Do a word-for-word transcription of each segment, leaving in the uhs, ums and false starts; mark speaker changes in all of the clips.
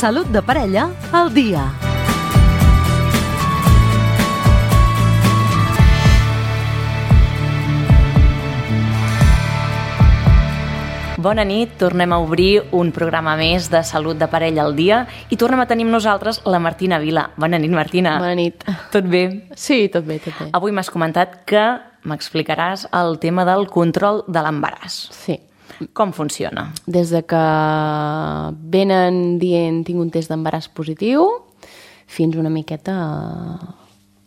Speaker 1: Salut de parella al dia.
Speaker 2: Bona nit, tornem a obrir un programa més de Salut de parella al dia i tornem a tenir amb nosaltres la Martina Vila. Bona nit, Martina.
Speaker 3: Bona nit.
Speaker 2: Tot bé?
Speaker 3: Sí, tot bé, tot bé.
Speaker 2: Avui m'has comentat que m'explicaràs el tema del control de l'embaràs.
Speaker 3: Sí.
Speaker 2: Com funciona?
Speaker 3: Des de que venen dient tinc un test d'embaràs positiu fins una miqueta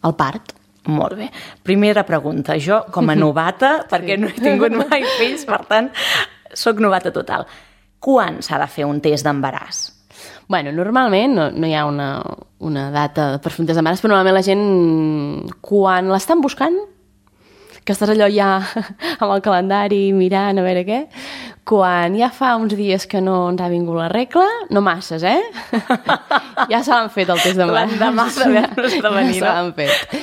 Speaker 3: al part.
Speaker 2: Molt bé. Primera pregunta. Jo, com a novata, perquè no he tingut mai fills, per tant, soc novata total. Quan s'ha de fer un test d'embaràs?
Speaker 3: Bueno, normalment no, no hi ha una, una data per fer un test d'embaràs, però normalment la gent, quan l'estan buscant, que estàs allò ja amb el calendari mirant a veure què, quan ja fa uns dies que no ens ha vingut la regla, no masses, eh? Ja se l'han fet el test d'embaràs.
Speaker 2: L'endemà d'haver-nos de venir,
Speaker 3: no? Se l'han fet.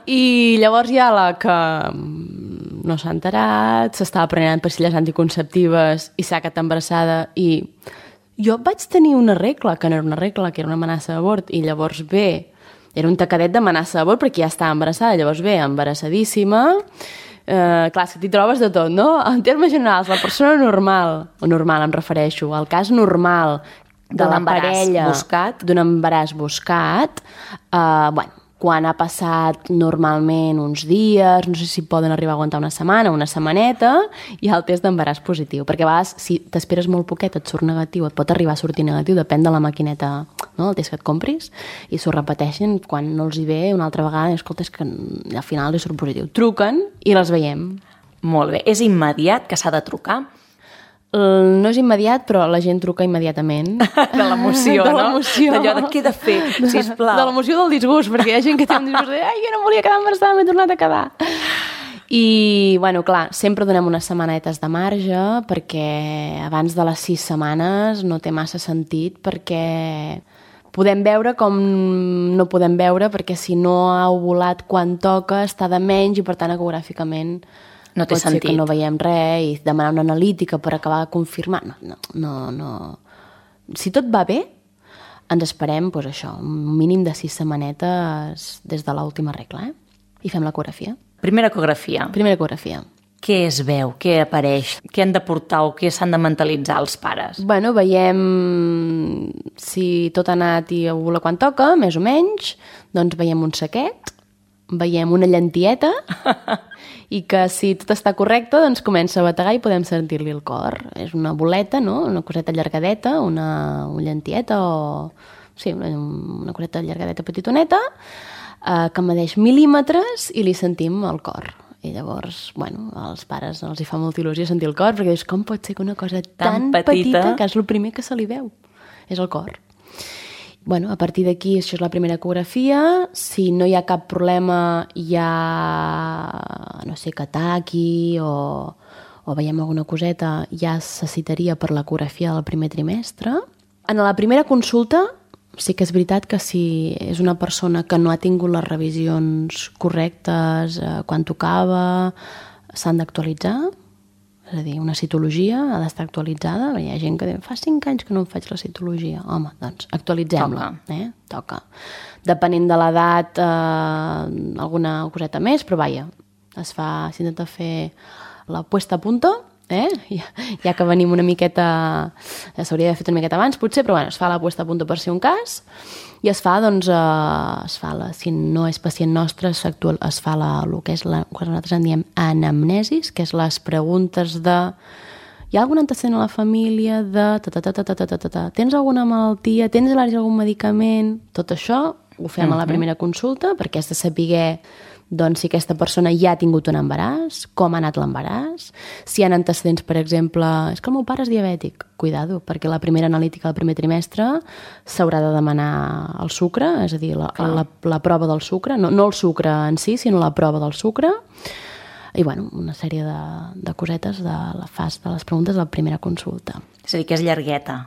Speaker 3: I llavors hi ha la que no s'ha enterat, s'estava prenent pastilles anticonceptives i s'ha quedat embarassada i jo vaig tenir una regla, que no era una regla, que era una amenaça d'abort, i llavors ve, era un tacadet d'amenaça d'abort perquè ja estava embarassada, llavors ve embarassadíssima, eh, clar, és que t'hi trobes de tot, no? En termes generals, la persona normal, o normal em refereixo, al cas normal de, de la parella
Speaker 2: buscat.
Speaker 3: d'un embaràs buscat, eh, bueno, quan ha passat normalment uns dies, no sé si poden arribar a aguantar una setmana, una setmaneta, hi ha el test d'embaràs positiu. Perquè a vegades, si t'esperes molt poquet, et surt negatiu, et pot arribar a sortir negatiu, depèn de la maquineta, no?, el test que et compris, i s'ho repeteixen quan no els hi ve una altra vegada, i escolta, és que al final li surt positiu. Truquen i les veiem.
Speaker 2: Molt bé. És immediat que s'ha de trucar?
Speaker 3: No és immediat, però la gent truca immediatament.
Speaker 2: De l'emoció,
Speaker 3: de
Speaker 2: no?
Speaker 3: l'emoció.
Speaker 2: D'allò de què he de fer, sisplau.
Speaker 3: De l'emoció del disgust, perquè hi ha gent que té un disgust de ai, jo no volia quedar embarassada, m'he tornat a quedar. I, bueno, clar, sempre donem unes setmanetes de marge perquè abans de les sis setmanes no té massa sentit perquè podem veure com no podem veure perquè si no ha ovulat quan toca està de menys i per tant ecogràficament
Speaker 2: no té
Speaker 3: pot
Speaker 2: sentit.
Speaker 3: ser que no veiem res i demanar una analítica per acabar de confirmar. No, no, no, no. Si tot va bé, ens esperem, doncs això, un mínim de sis setmanetes des de l'última regla, eh? I fem l'ecografia.
Speaker 2: Primera ecografia.
Speaker 3: Primera ecografia.
Speaker 2: Què es veu? Què apareix? Què han de portar o què s'han de mentalitzar els pares?
Speaker 3: Bueno, veiem si tot ha anat i ovula quan toca, més o menys, doncs veiem un saquet, veiem una llentieta i que si tot està correcte doncs comença a bategar i podem sentir-li el cor. És una boleta, no? Una coseta allargadeta, una, una lentieta o... Sí, una, una coseta allargadeta petitoneta eh, que medeix mil·límetres i li sentim el cor. I llavors, bueno, als pares els hi fa molta il·lusió sentir el cor perquè dius, com pot ser que una cosa tan, tan petita, petita que és el primer que se li veu? És el cor. Bueno, a partir d'aquí, això és la primera ecografia. Si no hi ha cap problema, hi ha, no sé, que taqui o, o veiem alguna coseta, ja se citaria per l'ecografia del primer trimestre. En la primera consulta, sí que és veritat que si és una persona que no ha tingut les revisions correctes eh, quan tocava, s'han d'actualitzar. És a dir, una citologia ha d'estar actualitzada. Hi ha gent que diu, fa cinc anys que no em faig la citologia. Home, doncs actualitzem-la.
Speaker 2: Toca.
Speaker 3: Eh? Toca. Depenent de l'edat, eh, alguna coseta més, però vaja, es fa, s'intenta fer la puesta a punto, eh? ja, ja que venim una miqueta, ja s'hauria d'haver fet una miqueta abans, potser, però bueno, es fa la puesta a punto per ser un cas, i es fa, doncs, eh, es fa la, si no és pacient nostre, es fa la, el que és la, que nosaltres en diem anamnesis, que és les preguntes de hi ha algun antecedent a la família de ta, ta, ta, ta, ta, ta, ta, ta. Tens alguna malaltia, tens al·lèrgia a algun medicament, tot això ho fem a la primera consulta perquè has de saber doncs, si aquesta persona ja ha tingut un embaràs, com ha anat l'embaràs, si hi ha antecedents, per exemple, és que el meu pare és diabètic, cuidado, perquè la primera analítica del primer trimestre s'haurà de demanar el sucre, és a dir, la, la, la prova del sucre, no, no el sucre en si, sinó la prova del sucre, i bueno, una sèrie de, de cosetes de la fase de les preguntes de la primera consulta.
Speaker 2: És a dir, que és llargueta.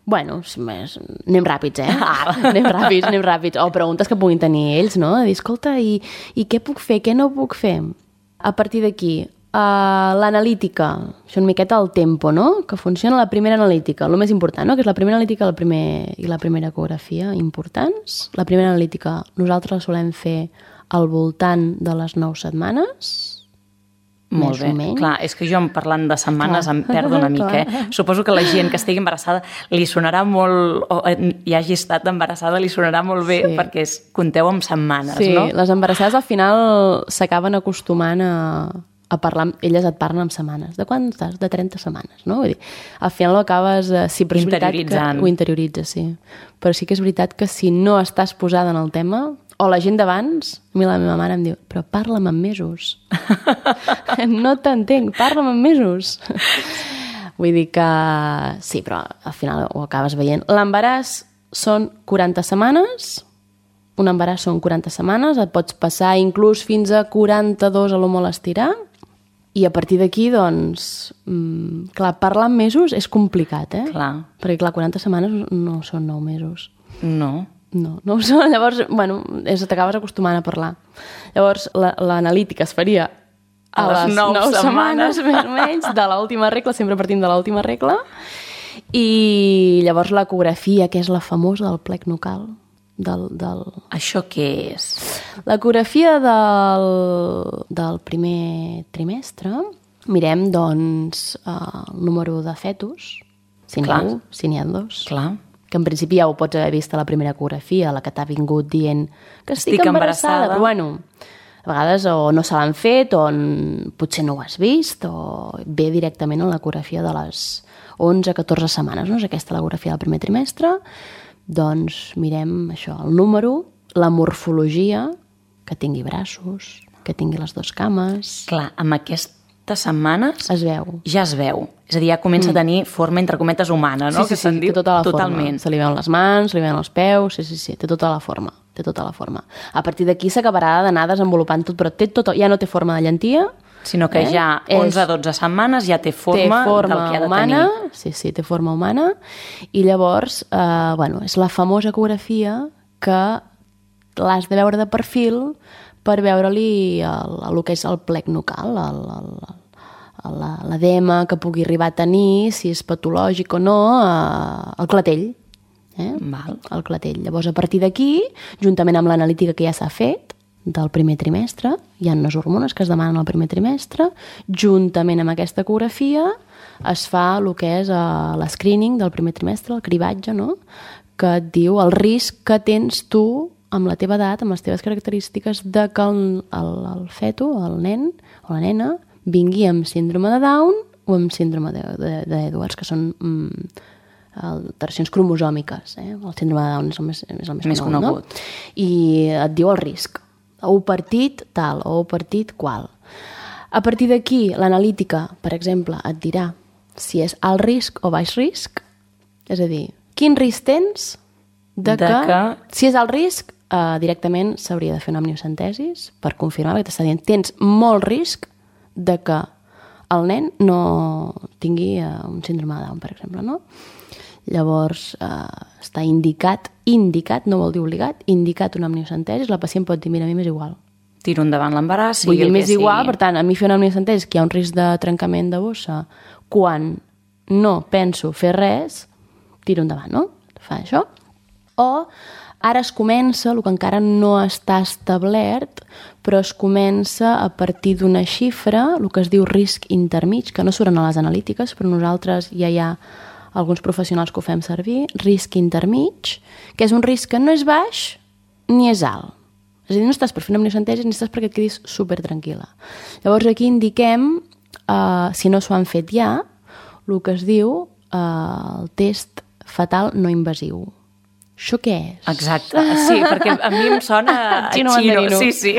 Speaker 3: Bueno, més, anem ràpids, eh? Ah. Anem ràpids, anem ràpids. O preguntes que puguin tenir ells, no? De dir, escolta, i, i què puc fer, què no puc fer? A partir d'aquí, Uh, l'analítica, això una miqueta el tempo, no? Que funciona la primera analítica, el més important, no? Que és la primera analítica el primer, i la primera ecografia importants. La primera analítica nosaltres la solem fer al voltant de les nou setmanes,
Speaker 2: Molt
Speaker 3: més
Speaker 2: bé.
Speaker 3: o menys.
Speaker 2: Clar, és que jo parlant de setmanes
Speaker 3: Clar.
Speaker 2: em perdo una mica. Eh? Suposo que la gent que estigui embarassada li sonarà molt, o hi hagi estat embarassada, li sonarà molt bé,
Speaker 3: Sí.
Speaker 2: perquè és, compteu amb setmanes,
Speaker 3: Sí,
Speaker 2: no?
Speaker 3: les embarassades al final s'acaben acostumant a, a parlar, amb- elles et parlen amb setmanes. De quan estàs? De trenta setmanes, no? Vull dir, al final ho acabes... eh, Sí, però és veritat que
Speaker 2: Interioritzant.
Speaker 3: ho interioritzes, sí. Però sí que és veritat que si no estàs posada en el tema, o la gent d'abans, a mi la meva mare em diu, però parla'm en mesos. No t'entenc, parla'm en mesos. Vull dir que sí, però al final ho acabes veient. L'embaràs són quaranta setmanes, un embaràs són quaranta setmanes, et pots passar inclús fins a quaranta-dos a lo molt estirar, i a partir d'aquí, doncs, mm, clar, parlar en mesos és complicat, eh?
Speaker 2: Clar.
Speaker 3: Perquè, clar, quaranta setmanes no són nou mesos.
Speaker 2: No.
Speaker 3: No, no ho són. Llavors, bueno, és, t'acabes acostumant a parlar. Llavors, la- l'analítica es faria a,
Speaker 2: A les
Speaker 3: les
Speaker 2: nou
Speaker 3: nou setmanes,
Speaker 2: setmanes.
Speaker 3: més o menys, de l'última regla, sempre partim de l'última regla. I llavors l'ecografia, que és la famosa del plec nucal, del, del...
Speaker 2: Això què és?
Speaker 3: L'ecografia del, del primer trimestre, mirem, doncs, eh, el número de fetus, si n'hi ha
Speaker 2: Clar.
Speaker 3: un, si n'hi ha dos,
Speaker 2: Clar.
Speaker 3: que en principi ja ho pots haver vist a la primera ecografia, la que t'ha vingut dient que estic,
Speaker 2: Estic
Speaker 3: embarassada,
Speaker 2: embarassada.
Speaker 3: però bueno, a vegades o no se l'han fet o n- potser no ho has vist o ve directament a l'ecografia de les onze a catorze setmanes, no? És aquesta l'ecografia del primer trimestre, doncs mirem això, el número, la morfologia, que tingui braços, que tingui les dues cames,
Speaker 2: Clar, amb aquestes setmanes
Speaker 3: es veu.
Speaker 2: ja es veu. És a dir, ja comença a tenir forma, entre cometes, humana, no?
Speaker 3: Sí, sí,
Speaker 2: que se'n
Speaker 3: sí,
Speaker 2: diu
Speaker 3: té tota la
Speaker 2: totalment.
Speaker 3: forma. Se li veuen les mans, se li veuen els peus, sí, sí, sí, té tota la forma. Té tota la forma. A partir d'aquí s'acabarà d'anar desenvolupant tot, però té tot, ja no té forma de llentia,
Speaker 2: Sinó que
Speaker 3: Eh?
Speaker 2: ja
Speaker 3: És-
Speaker 2: onze a dotze setmanes ja té
Speaker 3: té
Speaker 2: forma,
Speaker 3: forma
Speaker 2: del que ha de
Speaker 3: humana,
Speaker 2: tenir.
Speaker 3: sí, sí, té forma humana, i llavors, eh, bueno, és la famosa ecografia que l'has de veure de perfil per veure-li el, el que és el plec nucal, el, el, el, la- l'edema que pugui arribar a tenir, si és patològic o no, eh, el clatell. Eh?
Speaker 2: Val.
Speaker 3: El clatell. Llavors, a partir d'aquí, juntament amb l'analítica que ja s'ha fet, del primer trimestre, hi ha unes hormones que es demanen al primer trimestre, juntament amb aquesta ecografia es fa el que és uh, l'escreening del primer trimestre, el cribatge, no? Que et diu el risc que tens tu amb la teva edat, amb les teves característiques, de que el, el, el feto, el nen o la nena, vingui amb síndrome de Down o amb síndrome de- de- d'Edwards, que són mm, alteracions cromosòmiques. Eh? El síndrome de Down és el més, és el més,
Speaker 2: Més
Speaker 3: conegut.
Speaker 2: conegut.
Speaker 3: No? I et diu el risc. O partit tal, o partit qual. A partir d'aquí, l'analítica, per exemple, et dirà si és alt risc o baix risc. És a dir, quin risc tens de,
Speaker 2: De
Speaker 3: que,
Speaker 2: que-
Speaker 3: si és alt risc, eh, directament s'hauria de fer una amniocentesis per confirmar, perquè t'està dient, tens molt risc de que el nen no tingui eh, un síndrome de Down, per exemple, no? Llavors, eh, està indicat, indicat, no vol dir obligat, indicat una amniocentesi, la pacient pot dir, mira, a mi m'és igual.
Speaker 2: Tiro endavant l'embaràs,
Speaker 3: Vull
Speaker 2: sigui
Speaker 3: dir,
Speaker 2: el que
Speaker 3: m'és
Speaker 2: sigui.
Speaker 3: igual, per tant, a mi fer una amniocentesi que hi ha un risc de trencament de bossa, quan no penso fer res, tiro endavant, no? Fa això. O ara es comença, el que encara no està establert, però es comença a partir d'una xifra, el que es diu risc intermig, que no surten a les analítiques, però nosaltres ja hi ha alguns professionals que ho fem servir, risc intermig, que és un risc que no és baix ni és alt. És a dir, no estàs per fer una amniocentesi ni estàs perquè et quedis super tranquil·la. Llavors aquí indiquem, eh, si no s'ho han fet ja, el que es diu eh, el test fetal no invasiu. Això què és?
Speaker 2: Exacte, sí, perquè a mi em sona a
Speaker 3: Xino
Speaker 2: xino,
Speaker 3: mandarino.
Speaker 2: sí, sí.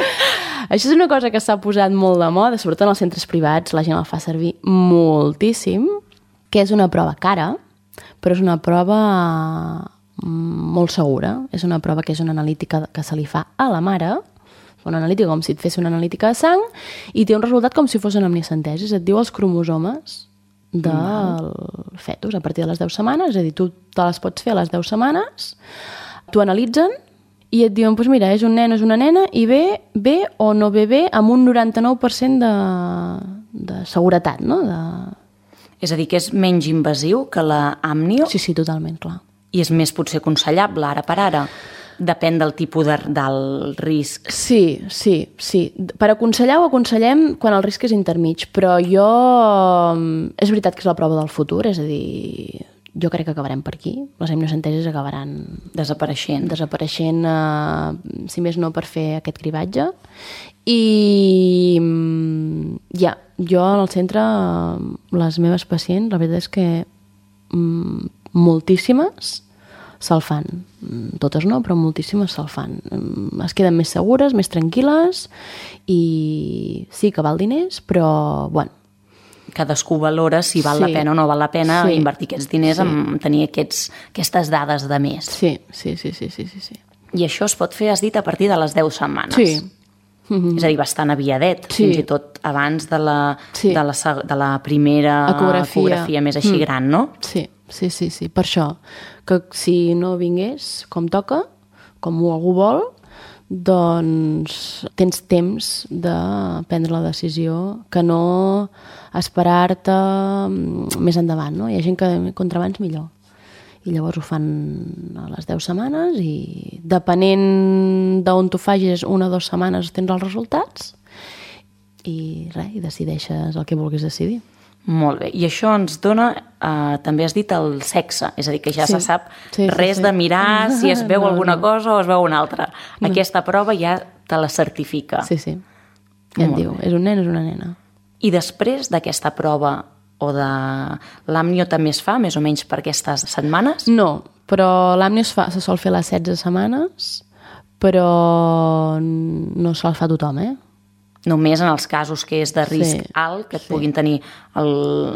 Speaker 3: Això és una cosa que s'ha posat molt de moda, sobretot en els centres privats, la gent el fa servir moltíssim, que és una prova cara, però és una prova mm, molt segura. És una prova que és una analítica que se li fa a la mare, una analítica com si et fes una analítica de sang, i té un resultat com si fos una amniocentesi. Et diu els cromosomes del fetus a partir de les deu setmanes, és a dir, tu te les pots fer a les deu setmanes, t'ho analitzen i et diuen, doncs mira, és un nen o és una nena i ve bé o no ve bé amb un noranta-nou per cent de, de seguretat, no? De...
Speaker 2: És a dir, que és menys invasiu que la amnio
Speaker 3: Sí, sí, totalment, clar.
Speaker 2: i és més potser aconsellable ara per ara. Depèn del tipus de, del risc.
Speaker 3: Sí, sí, sí. Per aconsellar ho aconsellem quan el risc és intermig, però jo... És veritat que és la prova del futur, és a dir, jo crec que acabarem per aquí. Les amniocentesis acabaran
Speaker 2: Desapareixent.
Speaker 3: desapareixent, eh, si més no per fer aquest cribatge. I ja, jo al centre, les meves pacients, la veritat és que mm, moltíssimes se'l fan. Totes no, però moltíssimes se'l fan. Es queden més segures, més tranquil·les i sí que val diners, però, bueno...
Speaker 2: Cadascú valora si val
Speaker 3: Sí.
Speaker 2: la pena o no val la pena
Speaker 3: Sí.
Speaker 2: invertir aquests diners
Speaker 3: Sí.
Speaker 2: en tenir aquests, aquestes dades de més.
Speaker 3: Sí, sí, sí, sí, sí, sí. sí.
Speaker 2: I això es pot fer, has dit, a partir de les deu setmanes.
Speaker 3: Sí.
Speaker 2: És a dir, bastant aviadet,
Speaker 3: Sí.
Speaker 2: fins i tot abans de la,
Speaker 3: Sí.
Speaker 2: de la, seg- de la primera
Speaker 3: Ecografia.
Speaker 2: ecografia més així
Speaker 3: Mm.
Speaker 2: gran, no?
Speaker 3: Sí, sí, sí, sí, per això, que si no vingués com toca, com algú vol, doncs tens temps de prendre la decisió que no esperar-te mm, més endavant, no? Hi ha gent que contra abans millor. I llavors ho fan a les deu setmanes i depenent d'on t'ho facis, una o dues setmanes tens els resultats i res, i decideixes el que vulguis decidir.
Speaker 2: Molt bé. I això ens dona, eh, també has dit, el sexe. És a dir, que ja
Speaker 3: Sí.
Speaker 2: se sap
Speaker 3: Sí, sí,
Speaker 2: res
Speaker 3: sí.
Speaker 2: de mirar si es veu
Speaker 3: No,
Speaker 2: alguna
Speaker 3: no.
Speaker 2: cosa o es veu una altra. Aquesta prova ja te la certifica.
Speaker 3: Sí, sí. Ja et
Speaker 2: Molt
Speaker 3: diu,
Speaker 2: bé.
Speaker 3: és un nen, és una nena.
Speaker 2: I després d'aquesta prova o de l'àmnio també es fa, més o menys per aquestes setmanes?
Speaker 3: No, però l'àmnio es fa, se sol fer a les setze setmanes, però no se'l fa a tothom, eh?
Speaker 2: Només en els casos que és de risc
Speaker 3: Sí,
Speaker 2: alt, que et
Speaker 3: sí.
Speaker 2: puguin tenir el,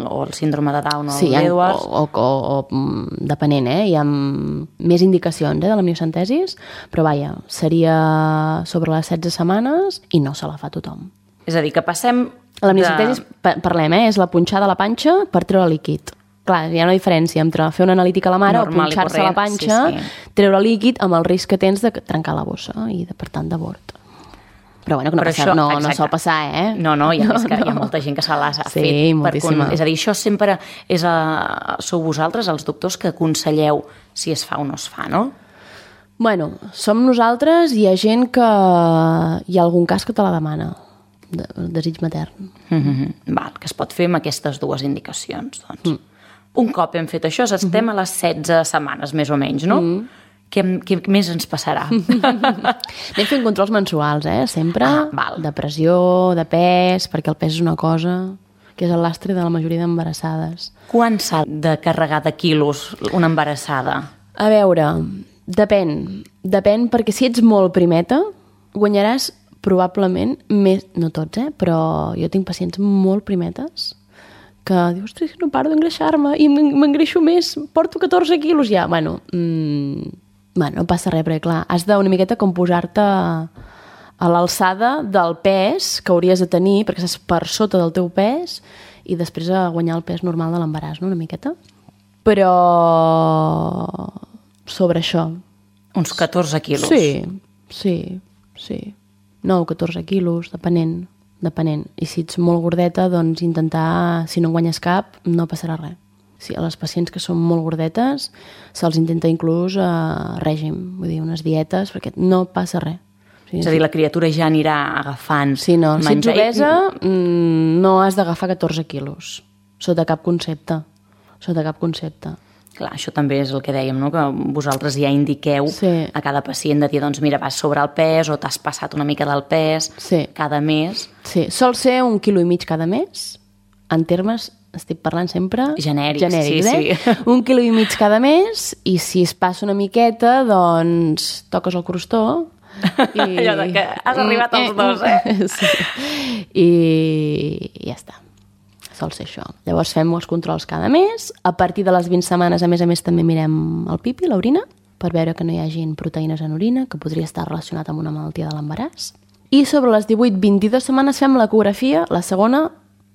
Speaker 2: o el síndrome de Down o
Speaker 3: Sí,
Speaker 2: el
Speaker 3: hi ha, o,
Speaker 2: d'Edwards.
Speaker 3: o, o, o, mm, depenent, eh? Hi ha més indicacions eh, de l'amniocentesis, però vaja, seria sobre les setze setmanes i no se la fa a tothom.
Speaker 2: És a dir, que passem...
Speaker 3: L'amniocentesis, pa- parlem, eh? És la punxada a la panxa per treure líquid. Clar, hi ha una diferència entre fer una analítica a la mare
Speaker 2: Normal i
Speaker 3: o punxar-se a la
Speaker 2: corrent,
Speaker 3: panxa,
Speaker 2: sí, sí.
Speaker 3: treure líquid amb el risc que tens de trencar la bossa i, de, per tant, d'abort. Però bueno, que no,
Speaker 2: Però
Speaker 3: passa,
Speaker 2: això,
Speaker 3: no, no
Speaker 2: exacte.
Speaker 3: sol passar, eh?
Speaker 2: No, no, i a més que
Speaker 3: No,
Speaker 2: hi ha
Speaker 3: no.
Speaker 2: molta gent que se l'ha
Speaker 3: Sí,
Speaker 2: fet.
Speaker 3: moltíssima.
Speaker 2: És a dir, això sempre és a, sou vosaltres, els doctors, que aconselleu si es fa o no es fa, no?
Speaker 3: Bueno, som nosaltres i hi ha gent que... Hi ha algun cas que te la demana, de, desig matern.
Speaker 2: Mm -hmm. Val, que es pot fer amb aquestes dues indicacions, doncs. Mm. Un cop hem fet això, estem mm -hmm. a les setze setmanes, més o menys, no? Mm. Què, què més ens passarà?
Speaker 3: Anem fent controls mensuals, eh? Sempre.
Speaker 2: Ah, val.
Speaker 3: De pressió, de pes, perquè el pes és una cosa que és el lastre de la majoria d'embarassades.
Speaker 2: Quan s'ha de carregar de quilos una embarassada?
Speaker 3: A veure, depèn. Depèn, perquè si ets molt primeta, guanyaràs probablement més... No tots, eh? Però jo tinc pacients molt primetes que dius, ostres, no paro d'engreixar-me i m'engreixo més, porto catorze quilos ja. Bueno, mmm, bueno, no passa res, perquè clar, has d'una miqueta com posar-te a l'alçada del pes que hauries de tenir, perquè estàs per sota del teu pes, i després a guanyar el pes normal de l'embaràs, no?, una miqueta. Però sobre això.
Speaker 2: Uns catorze quilos.
Speaker 3: Sí, sí, sí. nou o catorze quilos, depenent, depenent. I si ets molt gordeta, doncs intentar, si no en guanyes cap, no passarà res. Sí, a les pacients que són molt gordetes se'ls intenta inclús a règim, vull dir, unes dietes, perquè no passa res. Sí,
Speaker 2: És a dir, la criatura ja anirà agafant
Speaker 3: sí, no. Si ets
Speaker 2: menjar.
Speaker 3: obesa, mm, no has d'agafar catorze quilos, sota cap concepte. Sota cap concepte.
Speaker 2: Clar, això també és el que dèiem, no? Que vosaltres ja indiqueu
Speaker 3: Sí.
Speaker 2: a cada pacient de dir, doncs mira, vas sobre el pes o t'has passat una mica del pes
Speaker 3: Sí.
Speaker 2: cada mes.
Speaker 3: Sí, sol ser un quilo i mig cada mes, en termes, estic parlant sempre...
Speaker 2: Genèrics,
Speaker 3: genèrics
Speaker 2: sí,
Speaker 3: eh?
Speaker 2: sí.
Speaker 3: Un quilo i mig cada mes, i si es passa una miqueta, doncs toques el crostó... I...
Speaker 2: Allò de que has arribat als dos, eh?
Speaker 3: Sí. I... I ja està. Sol ser això. Llavors fem els controls cada mes. A partir de les vint setmanes, a més a més, també mirem el pipi, l'orina, per veure que no hi hagin proteïnes en orina, que podria estar relacionat amb una malaltia de l'embaràs. I sobre les divuit vint-i-dues setmanes fem l'ecografia, la segona,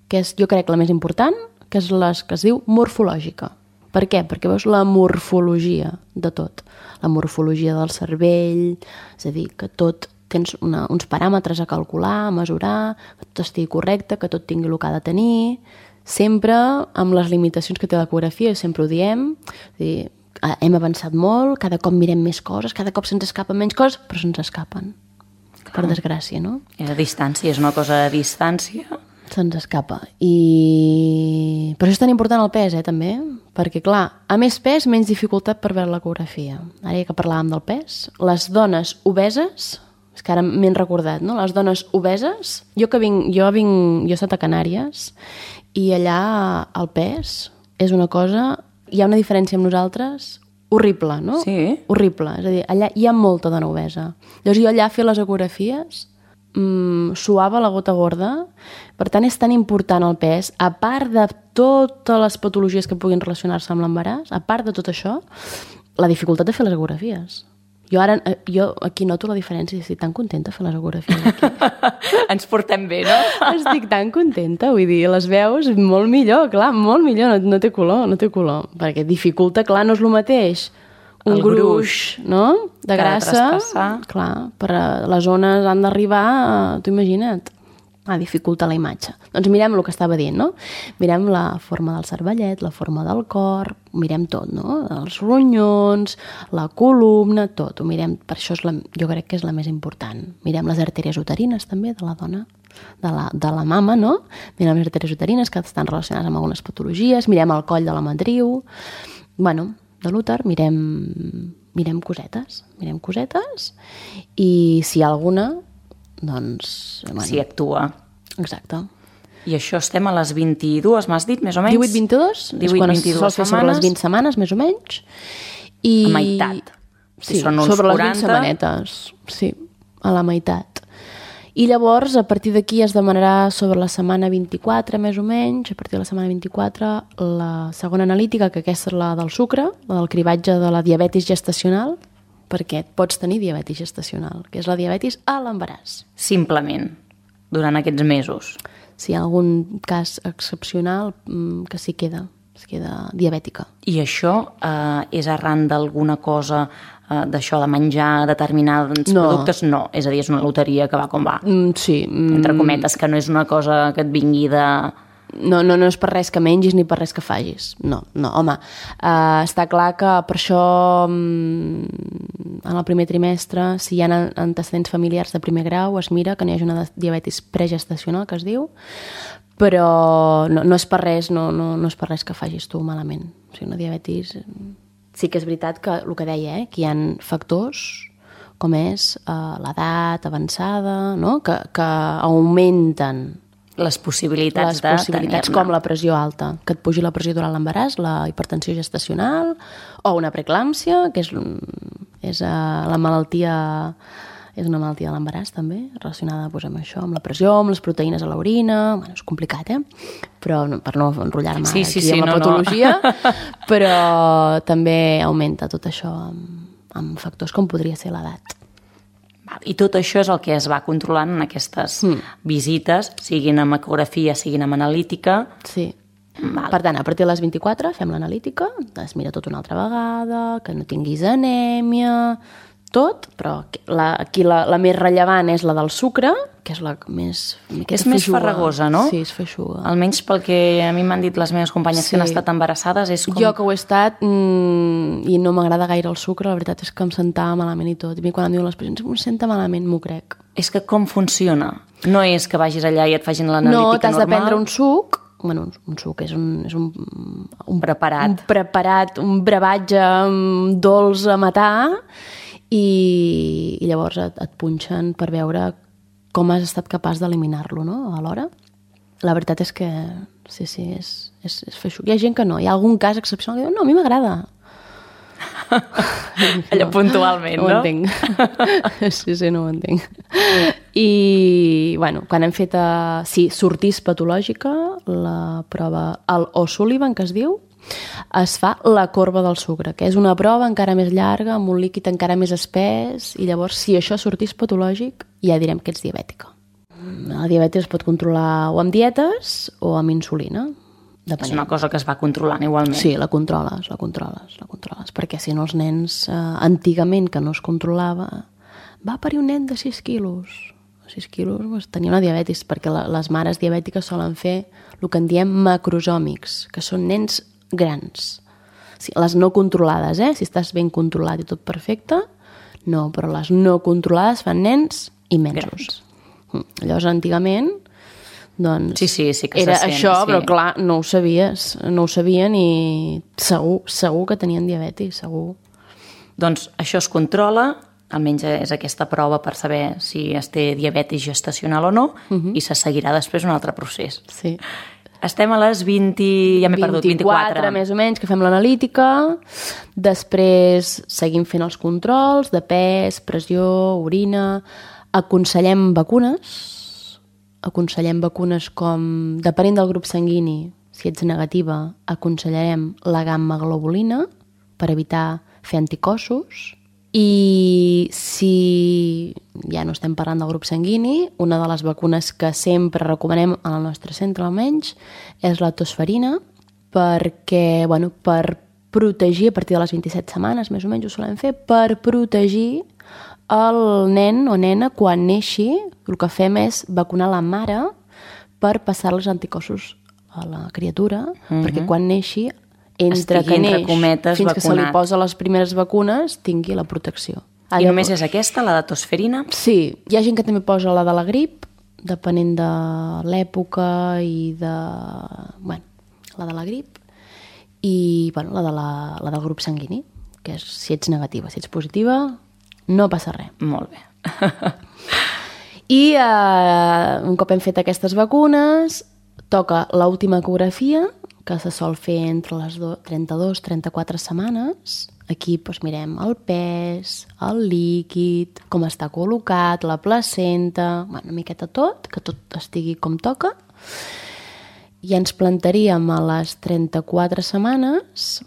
Speaker 3: que és, jo crec, la més important, que és la que es diu morfològica. Per què? Perquè veus la morfologia de tot. La morfologia del cervell, és a dir, que tot tens una, uns paràmetres a calcular, a mesurar, que tot estigui correcte, que tot tingui el que ha de tenir, sempre amb les limitacions que té l'ecografia, sempre ho diem, és dir, hem avançat molt, cada cop mirem més coses, cada cop se'ns escapen menys coses, però se'ns escapen, per desgràcia, no?
Speaker 2: És a distància, és una cosa a distància.
Speaker 3: Se'ns escapa. I... Per això és tan important el pes, eh, també, perquè, clar, a més pes, menys dificultat per veure l'ecografia. Ara ja que parlàvem del pes, les dones obeses, és que ara m'he recordat, no? Les dones obeses, jo que vinc, jo vinc, jo he estat a Canàries, i allà el pes és una cosa, hi ha una diferència amb nosaltres horrible, no?
Speaker 2: Sí.
Speaker 3: Horrible, és a dir, allà hi ha molta dona obesa. Llavors jo allà fer les ecografies mm, suava la gota gorda, per tant és tan important el pes, a part de totes les patologies que puguin relacionar-se amb l'embaràs, a part de tot això, la dificultat de fer les ecografies. Jo ara, jo aquí noto la diferència, estic tan contenta de fer les ecografies aquí.
Speaker 2: Ens portem bé, no?
Speaker 3: Estic tan contenta, vull dir, les veus molt millor, clar, molt millor, no, no té color, no té color, perquè dificulta, clar, no és el mateix un
Speaker 2: El
Speaker 3: gruix,
Speaker 2: gruix,
Speaker 3: no?, de
Speaker 2: que ha de
Speaker 3: grassa,
Speaker 2: traspassar.
Speaker 3: clar, per a les zones han d'arribar, t'ho imagina't, a dificulta la imatge. Doncs mirem el que estava dient, no? Mirem la forma del cervellet, la forma del cor, mirem tot, no? Els ronyons, la columna, tot, ho mirem, per això és la, jo crec que és la més important. Mirem les artèries uterines també de la dona, de la, de la mama, no? Mirem les artèries uterines que estan relacionades amb algunes patologies, mirem el coll de la matriu, bueno, de l'úter, mirem, mirem cosetes, mirem cosetes, i si hi ha alguna, doncs... Bueno,
Speaker 2: Si actua.
Speaker 3: exacte.
Speaker 2: I això estem a les vint-i-dues, m'has dit, més o menys?
Speaker 3: divuit vint-i-dos, és quan es sol fer sobre les vint setmanes, més o menys. I...
Speaker 2: A meitat. Si
Speaker 3: Sí,
Speaker 2: són uns
Speaker 3: sobre les
Speaker 2: quaranta.
Speaker 3: vint setmanetes, sí, a la meitat. I llavors, a partir d'aquí es demanarà sobre la setmana vint-i-quatre, més o menys, a partir de la setmana vint-i-quatre, la segona analítica, que aquesta és la del sucre, la del cribatge de la diabetis gestacional, perquè pots tenir diabetis gestacional, que és la diabetis a l'embaràs.
Speaker 2: Simplement, durant aquests mesos.
Speaker 3: Si hi ha algun cas excepcional, mm, que s'hi queda, es queda diabètica.
Speaker 2: I això eh, és arran d'alguna cosa, eh, d'això de menjar determinats
Speaker 3: No.
Speaker 2: productes? No, és a dir, és una loteria que va com va.
Speaker 3: Mm, sí. Mm,
Speaker 2: Entre cometes, que no és una cosa que et vingui de...
Speaker 3: No, no, no és per res que mengis ni per res que facis. No, no, home, uh, està clar que per això um, en el primer trimestre, si hi ha antecedents familiars de primer grau, es mira que no hi hagi una diabetis pregestacional, que es diu, però no, no és per res, no, no, no és per res que facis tu malament. O sigui, una diabetis... Sí que és veritat que el que deia, eh, que hi ha factors com és uh, l'edat avançada, no? que, que augmenten
Speaker 2: Les possibilitats
Speaker 3: les
Speaker 2: de
Speaker 3: possibilitats
Speaker 2: tenir-ne.
Speaker 3: com la pressió alta, que et pugi la pressió durant l'embaràs, la hipertensió gestacional o una preeclàmpsia, que és, és uh, la malaltia, és una malaltia de l'embaràs també, relacionada doncs, amb això, amb la pressió, amb les proteïnes a l'orina, bueno, és complicat, eh? Però no, per no enrotllar-me
Speaker 2: Sí, sí,
Speaker 3: aquí
Speaker 2: sí,
Speaker 3: amb la
Speaker 2: no,
Speaker 3: patologia,
Speaker 2: no.
Speaker 3: però també augmenta tot això amb, amb factors com podria ser l'edat.
Speaker 2: I tot això és el que es va controlant en aquestes mm. visites, siguin amb ecografia, siguin amb analítica.
Speaker 3: Sí.
Speaker 2: Val.
Speaker 3: Per tant, a partir de les vint-i-quatre fem l'analítica, es mira tot una altra vegada, que no tinguis anèmia, tot, però la, aquí la, la més rellevant és la del sucre, que és la més...
Speaker 2: És més farragosa, no?
Speaker 3: Sí, és feixuga.
Speaker 2: Almenys pel que a mi m'han dit les meves companyes
Speaker 3: Sí.
Speaker 2: que han estat embarassades, és com...
Speaker 3: Jo que ho he estat mmm, i no m'agrada gaire el sucre, la veritat és que em sentava malament i tot. I a mi quan em diuen les pacients, em senta malament, m'ho crec.
Speaker 2: És que com funciona? No és que vagis allà i et facin l'analítica
Speaker 3: No,
Speaker 2: normal?
Speaker 3: t'has de prendre un suc, bueno, un, un suc és un, és un, un
Speaker 2: preparat.
Speaker 3: un preparat, un brevatge um, dolç a matar, i, i llavors et, et punxen per veure com has estat capaç d'eliminar-lo, no?, alhora. La veritat és que sí, sí, és, és, és feixuc. Hi ha gent que no, hi ha algun cas excepcional que diu, no, a mi m'agrada.
Speaker 2: Allò puntualment,
Speaker 3: no?
Speaker 2: no?
Speaker 3: ho entenc. Sí, sí, no ho entenc. I, bueno, quan hem fet, a, sí, sortís patològica, la prova, el O'Sullivan, que es diu, es fa la corba del sucre, que és una prova encara més llarga, amb un líquid encara més espès, i llavors, si això sortís patològic, ja direm que ets diabètica. La diabetis es pot controlar o amb dietes o amb insulina. Depenent.
Speaker 2: És una cosa que es va controlant igualment.
Speaker 3: Sí, la controles, la controles, la controles, perquè si no els nens, eh, antigament, que no es controlava, va parir un nen de sis quilos. sis quilos doncs, tenia una diabetis, perquè la, les mares diabètiques solen fer el que en diem macrosòmics, que són nens grans. Sí, les no controlades, eh? Si estàs ben controlat i tot perfecte, no, però les no controlades fan nens immensos. Grans. Llavors, antigament, doncs,
Speaker 2: sí, sí, sí que
Speaker 3: era
Speaker 2: se sent,
Speaker 3: això,
Speaker 2: sí.
Speaker 3: però clar, no ho sabies, no ho sabien i segur, segur que tenien diabetis, segur.
Speaker 2: Doncs això es controla, almenys és aquesta prova per saber si es té diabetis gestacional o no, uh-huh. i se seguirà després un altre procés.
Speaker 3: Sí.
Speaker 2: Estem a les vint, ja m'he perdut, vint-i-quatre.
Speaker 3: més o menys, que fem l'analítica. Després seguim fent els controls de pes, pressió, orina. Aconsellem vacunes. Aconsellem vacunes com, depenent del grup sanguini, si ets negativa, aconsellarem la gamma-globulina per evitar fer anticossos. I si ja no estem parlant del grup sanguini, una de les vacunes que sempre recomanem al nostre centre almenys és la tosferina, perquè, bueno, per protegir a partir de les vint-i-set setmanes, més o menys ho solem fer, per protegir el nen o nena quan neixi. El que fem és vacunar la mare per passar els anticossos a la criatura, uh-huh. perquè quan neixi entre
Speaker 2: estigui,
Speaker 3: que neix
Speaker 2: entre cometes,
Speaker 3: fins
Speaker 2: vacunat.
Speaker 3: Que se li posa les primeres vacunes tingui la protecció.
Speaker 2: Ah, I només és aquesta, la de tosferina?
Speaker 3: Sí, hi ha gent que també posa la de la grip, depenent de l'època i de... Bueno, la de la grip i bueno, la, de la, la del grup sanguini, que és si ets negativa. Si ets positiva, no passa res.
Speaker 2: Molt bé.
Speaker 3: I eh, un cop hem fet aquestes vacunes, toca l'última ecografia, que se sol fer entre les trenta-dues i trenta-quatre setmanes. Aquí doncs, mirem el pes, el líquid, com està col·locat, la placenta, bueno, una miqueta tot, que tot estigui com toca. I ens plantaríem a les trenta-quatre setmanes.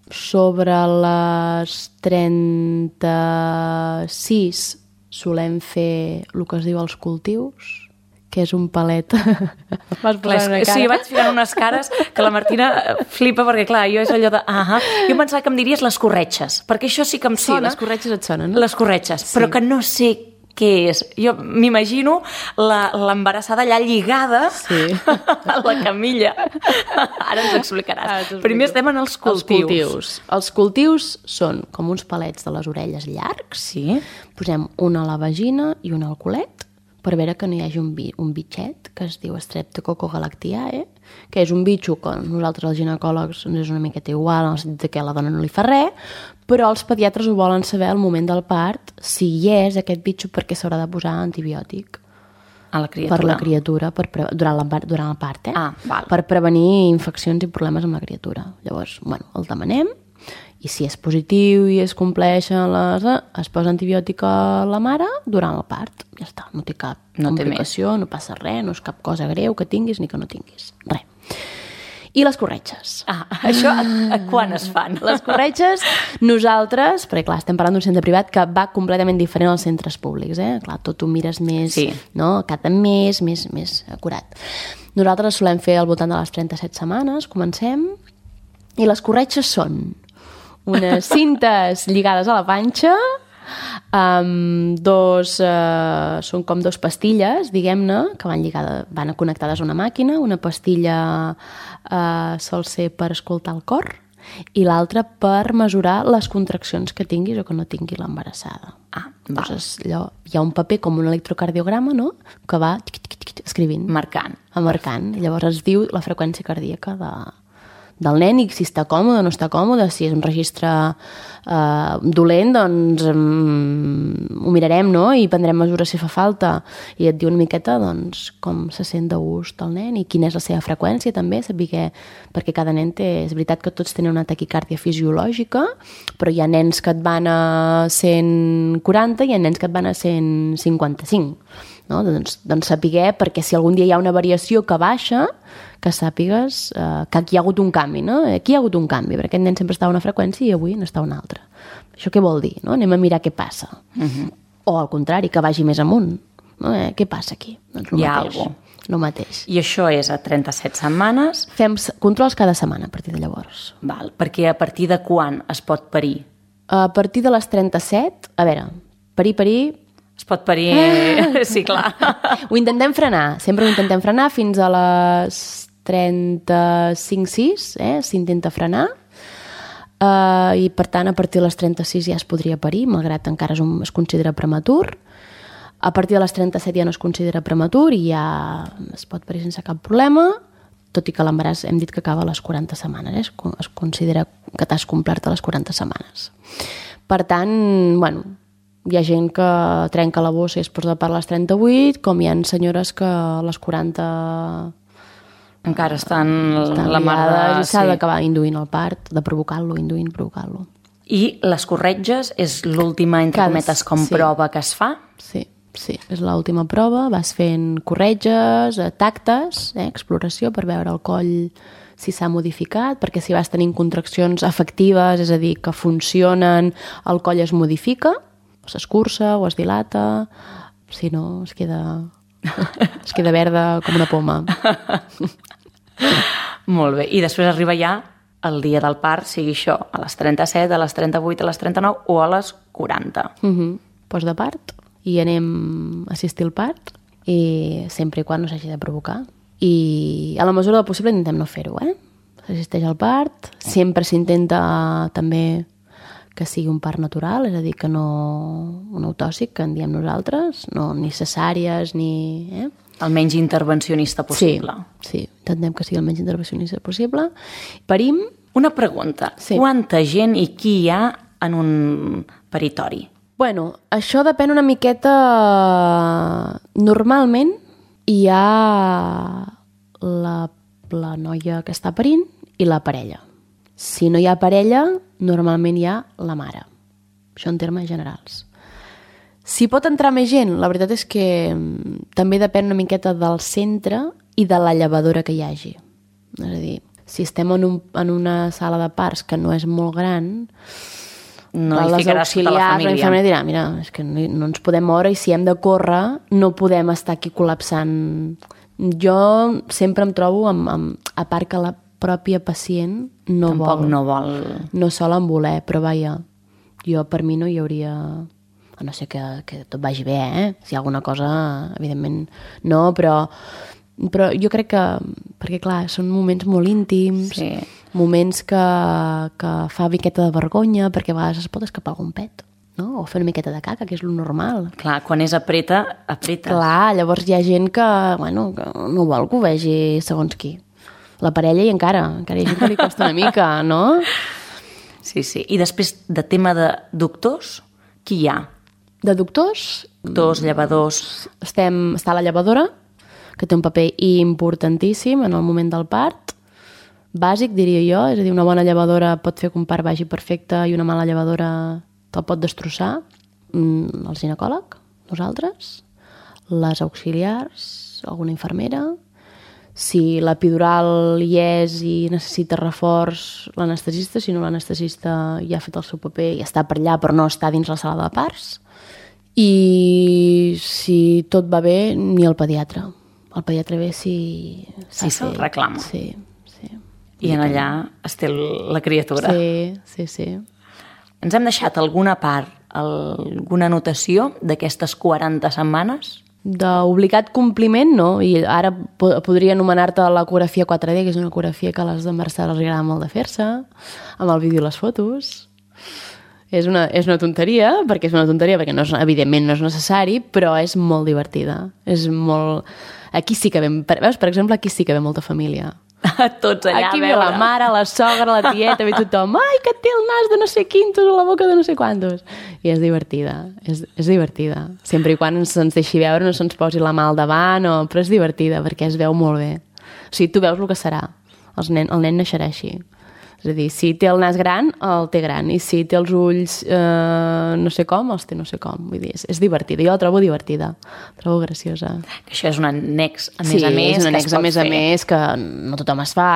Speaker 3: Sobre les trenta-sis solem fer el que es diu els cultius, que és un palet. Vas
Speaker 2: clar,
Speaker 3: una cara.
Speaker 2: Sí, vaig ficant unes cares que la Martina flipa, perquè clar, jo és allò de... Ah, jo pensava que em diries les corretxes, perquè això sí que em sona.
Speaker 3: Sí, les corretxes et sonen, no?
Speaker 2: Les corretxes,
Speaker 3: sí.
Speaker 2: Però que no sé què és. Jo m'imagino l'embarassada allà lligada sí. a la camilla. Ara ens explicaràs. Primer estem en els cultius.
Speaker 3: Els cultius. Els cultius són com uns palets de les orelles llargs.
Speaker 2: Sí.
Speaker 3: Posem una a la vagina i una al culet, per veure que no hi hagi un, bi, un bitxet que es diu Streptococcus galactiae, que és un bitxo que nosaltres els ginecòlegs ens és una miqueta igual, en el sentit que a la dona no li fa res, però els pediatres ho volen saber al moment del part, si hi és aquest bitxo, perquè s'haurà de posar antibiòtic.
Speaker 2: A la criatura?
Speaker 3: Per la criatura, per pre... durant, la, durant el part, eh?
Speaker 2: Ah, val.
Speaker 3: Per prevenir infeccions i problemes amb la criatura. Llavors, bueno, el demanem, i si és positiu i es compleixen les... es posa antibiòtic a la mare durant el part. Ja està, no té cap
Speaker 2: no
Speaker 3: complicació,
Speaker 2: té
Speaker 3: no passa res, no és cap cosa greu que tinguis ni que no tinguis. Res. I les corretges.
Speaker 2: Ah, això a, a quan es fan?
Speaker 3: Les corretges, nosaltres, perquè clar, estem parlant d'un centre privat que va completament diferent als centres públics, eh? Clar, tot ho mires més,
Speaker 2: sí.
Speaker 3: no? Cada mes, més, més acurat. Nosaltres solem fer al voltant de les trenta-set setmanes, comencem, i les corretges són unes cintes lligades a la panxa, um, dos, uh, són com dos pastilles, diguem-ne, que van, lligada, van connectades a una màquina. Una pastilla uh, sol ser per escoltar el cor i l'altra per mesurar les contraccions que tinguis o que no tingui l'embarassada.
Speaker 2: Ah,
Speaker 3: Llavors, allò, hi ha un paper com un electrocardiograma, no?, que va tic, tic, tic, escrivint.
Speaker 2: Marcant.
Speaker 3: Marcant. Llavors es diu la freqüència cardíaca de... del nen i si està còmode o no està còmode, si és un registre eh, dolent, doncs um, ho mirarem, no? I prendrem mesures si fa falta. I et diu una miqueta doncs, com se sent de gust el nen i quina és la seva freqüència també, saber, perquè cada nen té... És veritat que tots tenen una taquicàrdia fisiològica, però hi ha nens que et van a cent quaranta i hi ha nens que et van a cent cinquanta-cinc. No? Doncs, doncs saber, perquè si algun dia hi ha una variació que baixa, que sàpigues eh, que aquí hi ha hagut un canvi, no? Aquí hi ha hagut un canvi, perquè aquest nen sempre està a una freqüència i avui n'està a una altra. Això què vol dir? No? Anem a mirar què passa. Uh-huh. O al contrari, que vagi més amunt. No? Eh, què passa aquí? Doncs
Speaker 2: hi ha alguna cosa.
Speaker 3: El mateix.
Speaker 2: I això és a trenta-set setmanes?
Speaker 3: Fem controls cada setmana a partir de llavors.
Speaker 2: Val, perquè a partir de quan es pot parir?
Speaker 3: A partir de les trenta-set, a veure, parir, parir,
Speaker 2: Es pot parir... Sí, clar.
Speaker 3: Ho intentem frenar, sempre ho intentem frenar fins a les trenta-cinc sis, eh? S'intenta frenar. Uh, I, per tant, a partir de les trenta-sis ja es podria parir, malgrat encara es, un, es considera prematur. A partir de les trenta-set ja no es considera prematur i ja es pot parir sense cap problema, tot i que l'embaràs hem dit que acaba a les quaranta setmanes, eh? es, es considera que t'has complert a les quaranta setmanes. Per tant, bueno, hi ha gent que trenca la bossa i es posa de part a les trenta-vuit, com hi ha senyores que a les quaranta...
Speaker 2: Encara estan,
Speaker 3: estan
Speaker 2: la mar de...
Speaker 3: i s'ha sí. d'acabar induint el part, de provocar-lo, induint, provocant-lo.
Speaker 2: I les corretges és l'última, entre Cada... cometes, com sí. prova que es fa?
Speaker 3: Sí. Sí, és l'última prova, vas fent corretges, tactes, eh, exploració per veure el coll si s'ha modificat, perquè si vas tenint contraccions efectives, és a dir, que funcionen, el coll es modifica, o s'escurça o es dilata, si no es queda, es queda verda com una poma.
Speaker 2: Molt bé, i després arriba ja el dia del part, sigui això, a les trenta-set, a les trenta-vuit, a les trenta-nou o a les quaranta.
Speaker 3: Uh-huh. Post de part i anem a assistir al part i sempre i quan no s'hagi de provocar. I a la mesura del possible intentem no fer-ho, eh? S'assisteix al part, sempre s'intenta també que sigui un part natural, és a dir, que no un autòxic, que en diem nosaltres, no ni cesàries ni... Eh?
Speaker 2: El menys intervencionista possible.
Speaker 3: Sí, sí, intentem que sigui el menys intervencionista possible. Parim.
Speaker 2: Una pregunta, sí. Quanta gent i qui hi ha en un peritori?
Speaker 3: Bueno, això depèn una miqueta... Normalment hi ha la, la noia que està parint i la parella. Si no hi ha parella, normalment hi ha la mare. Això en termes generals. Si pot entrar més gent, la veritat és que també depèn una miqueta del centre i de la llevadora que hi hagi. És a dir, si estem en, un, en una sala de parts que no és molt gran...
Speaker 2: No hi ficaràs tota la família.
Speaker 3: La família dirà, mira, és que no, no ens podem moure i si hem de córrer no podem estar aquí col·lapsant. Jo sempre em trobo, amb, amb, a part que la pròpia pacient no
Speaker 2: Tampoc
Speaker 3: vol.
Speaker 2: no vol.
Speaker 3: No sol en voler, però vaja, jo per mi no hi hauria... A no ser que, que tot vagi bé, eh? Si hi ha alguna cosa, evidentment no, però, però jo crec que... Perquè, clar, són moments molt íntims...
Speaker 2: Sí.
Speaker 3: Moments que, que fa miqueta de vergonya, perquè a vegades es pot escapar algun pet, no? O fer una miqueta de caca, que és lo normal.
Speaker 2: Clar, quan és apreta, apretes.
Speaker 3: Clar, llavors hi ha gent que, bueno, que no vol que ho vegi segons qui. La parella i encara, encara hi ha gent que li costa una mica, no?
Speaker 2: Sí, sí. I després, de tema de doctors, qui hi ha?
Speaker 3: De doctors?
Speaker 2: Doctors, llevadors...
Speaker 3: Estem, està la llevadora, que té un paper importantíssim en el moment del part, bàsic, diria jo, és a dir, una bona llevadora pot fer que un part vagi perfecte i una mala llevadora te'l pot destrossar. El ginecòleg, nosaltres, les auxiliars, alguna infermera. Si l'epidural hi és i necessita reforç, l'anestesista, si no l'anestesista ja ha fet el seu paper i està per allà però no està dins la sala de parts. I si tot va bé, ni el pediatre. El pediatre ve si...
Speaker 2: Si se'l reclama.
Speaker 3: Sí.
Speaker 2: I en allà es té la criatura.
Speaker 3: Sí, sí, sí.
Speaker 2: Ens hem deixat alguna part, alguna anotació d'aquestes quaranta setmanes?
Speaker 3: D'obligat compliment, no. I ara podria anomenar-te l'ecografia quatre D, que és una ecografia que a les embarassades els agrada molt de fer-se, amb el vídeo i les fotos. És una, és una tonteria, perquè és una tonteria, perquè no és, evidentment no és necessari, però és molt divertida. És molt... Aquí sí que ve... Veus, per exemple, aquí sí que ve molta família.
Speaker 2: Tots allà
Speaker 3: aquí
Speaker 2: a veure.
Speaker 3: Aquí ve la mare, la sogra, la tieta, ve tothom, ai, que té el nas de no sé quintos o la boca de no sé quantos. I és divertida, és, és divertida. Sempre i quan ens, ens deixi veure, no se'ns posi la mà al davant, o... però és divertida perquè es veu molt bé. O sigui, tu veus el que serà. Els nen, el nen naixerà així. És a dir, si té el nas gran, el té gran. I si té els ulls eh, no sé com, els té no sé com. Vull dir, és, és divertida. Jo la trobo divertida. La trobo graciosa.
Speaker 2: Que això és un annex, a més
Speaker 3: sí,
Speaker 2: a més,
Speaker 3: és un annex,
Speaker 2: que es pot
Speaker 3: a més
Speaker 2: fer.
Speaker 3: a més, que no tothom es fa,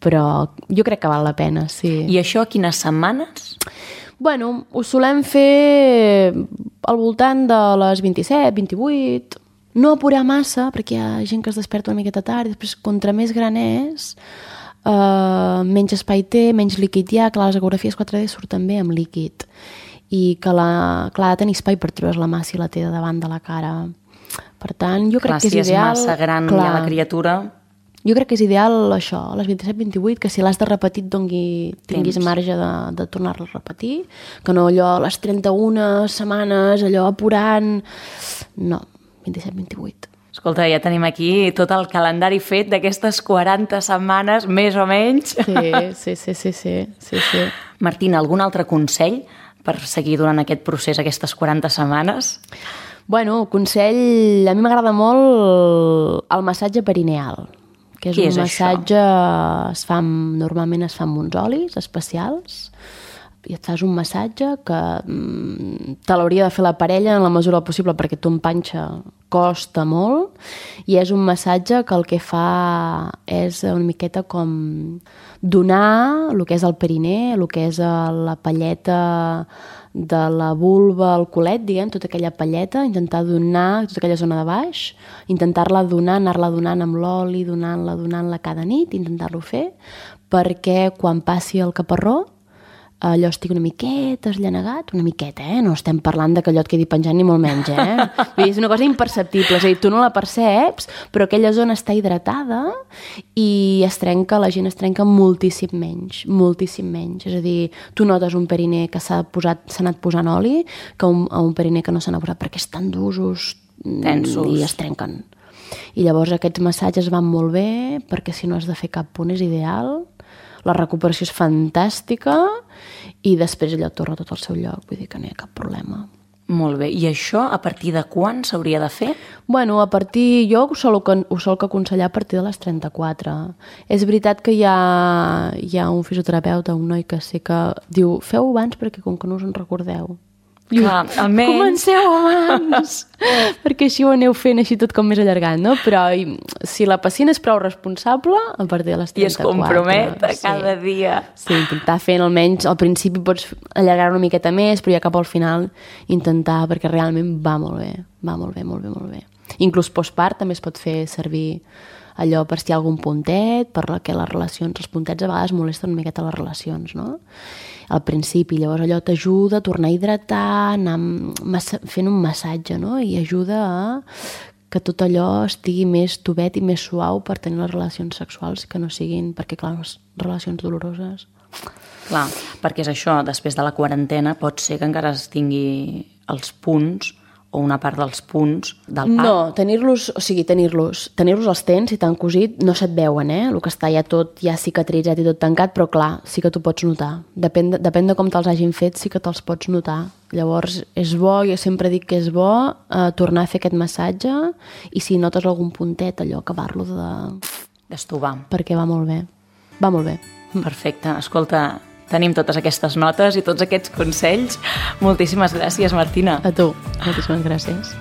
Speaker 3: però jo crec que val la pena, sí.
Speaker 2: I això quines setmanes?
Speaker 3: Bueno, ho solem fer al voltant de les vint-i-set, vint-i-vuit... No apurar massa, perquè hi ha gent que es desperta una miqueta tard, i després, contra més gran és... Uh, menys espai té, menys líquid hi ha, clar, les ecografies quatre D surten bé amb líquid i que la, clar, ha de tenir espai per treure's la mà si la té davant de la cara. Per tant, jo crec
Speaker 2: clar,
Speaker 3: que és
Speaker 2: si
Speaker 3: ideal...
Speaker 2: és massa gran clar, ja la criatura...
Speaker 3: Jo crec que és ideal això, a les vint-i-set vint-i-vuit, que si l'has de repetir et dongui, tinguis Temps. marge de, de tornar-la a repetir, que no allò a les trenta-una setmanes, allò apurant... No, vint-i-set vint-i-vuit.
Speaker 2: Escolta, ja tenim aquí tot el calendari fet d'aquestes quaranta setmanes, més o menys.
Speaker 3: Sí, sí, sí, sí, sí, sí, sí.
Speaker 2: Martina, algun altre consell per seguir durant aquest procés, aquestes quaranta setmanes?
Speaker 3: Bueno, consell... A mi m'agrada molt el massatge perineal, que és
Speaker 2: Què
Speaker 3: un
Speaker 2: és
Speaker 3: massatge...
Speaker 2: això?
Speaker 3: Es fa, normalment es fa amb uns olis especials, i et fas un massatge que mm, te l'hauria de fer la parella en la mesura possible perquè tu en panxa costa molt, i és un massatge que el que fa és una miqueta com donar el que és el periner, el que és la palleta de la vulva al culet, diguem, tota aquella palleta, intentar donar tota aquella zona de baix, intentar-la donar, anar-la donant amb l'oli, donant-la, donant-la cada nit, intentar-lo fer, perquè quan passi el caparró allò estigui una miqueta esllanegat, una miqueta, eh? No estem parlant de que allò et quedi penjant ni molt menys, eh? Vull dir, és una cosa imperceptible, és a dir, tu no la perceps, però aquella zona està hidratada i es trenca, la gent es trenca moltíssim menys, moltíssim menys. És a dir, tu notes un periner que s'ha posat, s'ha anat posant oli que un, un periner que no s'ha anat posat perquè estan d'usos
Speaker 2: tensos
Speaker 3: i es trenquen. I llavors aquests massatges van molt bé perquè si no has de fer cap punt és ideal. La recuperació és fantàstica i després allò torna tot al seu lloc, vull dir que no hi ha cap problema.
Speaker 2: Molt bé, i això a partir de quan s'hauria de fer?
Speaker 3: Bueno, a partir, jo ho sol, ho sol aconsellar a partir de les trenta-quatre. És veritat que hi ha, hi ha un fisioterapeuta, un noi que sé que diu, feu abans perquè com que no us en recordeu.
Speaker 2: Clar, almenys...
Speaker 3: Comenceu abans, perquè així ho aneu fent així tot com més allargat, no? Però si la pacient és prou responsable, a partir de les trenta-quatre...
Speaker 2: I es compromet a cada
Speaker 3: sí. dia. Sí, intentar fent almenys, al principi pots allargar una miqueta més, però ja cap al final intentar, perquè realment va molt bé, va molt bé, molt bé, molt bé. Inclús postpart també es pot fer servir allò per si hi ha algun puntet, per que les relacions, els puntets a vegades molesten una miqueta les relacions, no? Al principi, llavors allò t'ajuda a tornar a hidratar, anar fent un massatge, no? I ajuda a que tot allò estigui més tubet i més suau per tenir les relacions sexuals que no siguin, perquè clar, les relacions doloroses...
Speaker 2: Clar, perquè és això, després de la quarantena pot ser que encara es tingui els punts o una part dels punts del part.
Speaker 3: No, tenir-los, o sigui, tenir-los, tenir-los els tens i tan cosit, no se't veuen, eh? El que està ja tot, ja cicatritzat i tot tancat, però clar, sí que t'ho pots notar. Depèn de, depèn de com te'ls hagin fet, sí que te'ls pots notar. Llavors, és bo, jo sempre dic que és bo eh, tornar a fer aquest massatge i si notes algun puntet, allò, acabar-lo de...
Speaker 2: d'estovar.
Speaker 3: Perquè va molt bé. Va molt bé.
Speaker 2: Perfecte. Escolta, tenim totes aquestes notes i tots aquests consells. Moltíssimes gràcies, Martina.
Speaker 3: A tu. Moltíssimes gràcies.